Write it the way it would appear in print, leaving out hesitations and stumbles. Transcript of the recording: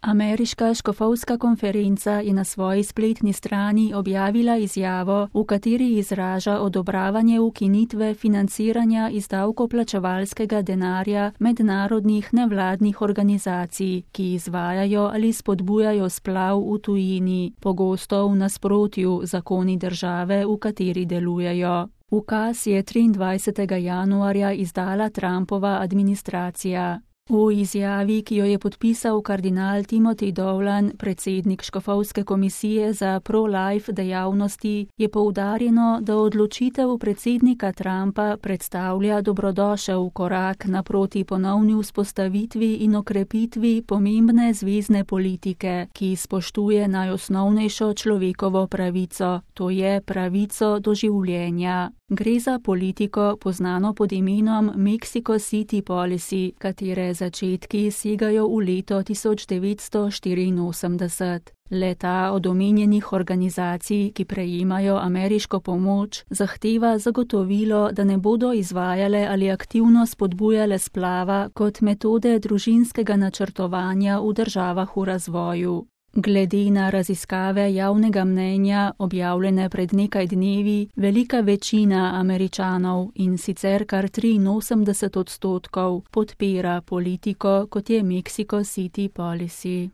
Ameriška škofovska konferenca je na svoji spletni strani objavila izjavo, v kateri izraža odobravanje ukinitve financiranja iz davkoplačevalskega denarja mednarodnih nevladnih organizacij, ki izvajajo ali spodbujajo splav v tujini, pogosto v nasprotju zakoni države, v kateri delujejo. Ukaz je 23. januarja izdala Trumpova administracija. V izjavi, ki jo je podpisal kardinal Timothy Dolan, predsednik škofovske komisije za pro-life dejavnosti, je poudarjeno, da odločitev predsednika Trumpa predstavlja dobrodošel korak naproti ponovni vzpostavitvi in okrepitvi pomembne zvezne politike, ki spoštuje najosnovnejšo človekovo pravico, to je pravico do življenja. Gre za politiko, poznano pod imenom Mexico City Policy, katere začetki segajo v leto 1984. Le-ta od omenjenih organizacij, ki prejemajo ameriško pomoč, zahteva zagotovilo, da ne bodo izvajale ali aktivno spodbujale splava kot metode družinskega načrtovanja v državah v razvoju. Glede na raziskave javnega mnenja, objavljene pred nekaj dnevi, velika večina Američanov, in sicer kar 83%, podpira politiko, kot je Mexico City Policy.